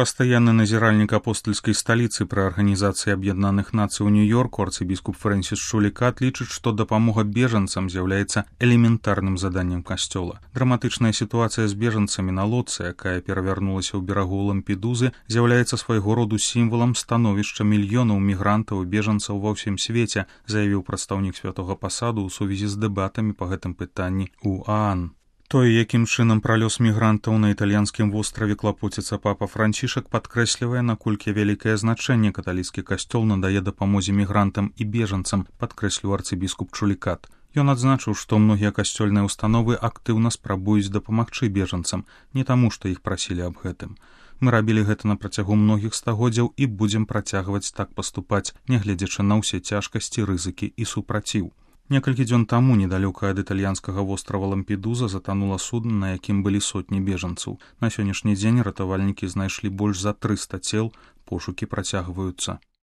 Пастаянны назіральнік апостальскай сталіцы пры Арганізацыі Аб'яднаных Нацый у Нью-Йорку арцыбіскуп Фрэнсіс Шулікат лічыць, што дапамога бежанцам з'яўляецца элементарным заданнем касцёла. Драматычная сітуацыя з бежанцамі на лодцы, якая перавярнулася ў берагу Лампедузы, з'яўляецца свайго роду сімвалам становішча мільёнаў мігрантаў і бежанцаў ва ўсім свеце, заявіў прадстаўнік святога пасаду ў сувязі з дэбатамі па гэтым пытанні ў ААН. Тое, якім чынам пра лёс мігрантаў на італьянскім востраве клапоціцца папа Францішак, падкрэслівае, наколькі вялікае значэнне каталіцкі касцёл надае дапамозе мігрантам і бежанцам, падкрэсліў арцыбіскуп Шулікат. Ён адзначыў, што многія касцёльныя установы актыўна спрабуюць дапамагчы бежанцам, не таму, што іх прасілі аб гэтым. Мы рабілі гэта на працягу многіх стагоддзяў і будзем працягваць так паступаць, нягледзячы на ўсе цяжкасці, рызыкі і супраціў. Некалькі дзён таму недалёка ад італьянскага вострава Лампедуза затанула судна, на якім былі сотні бежанцаў. На сённяшні дзень ратавальнікі знайшлі больш за 300 цел, пошукі працягваюцца.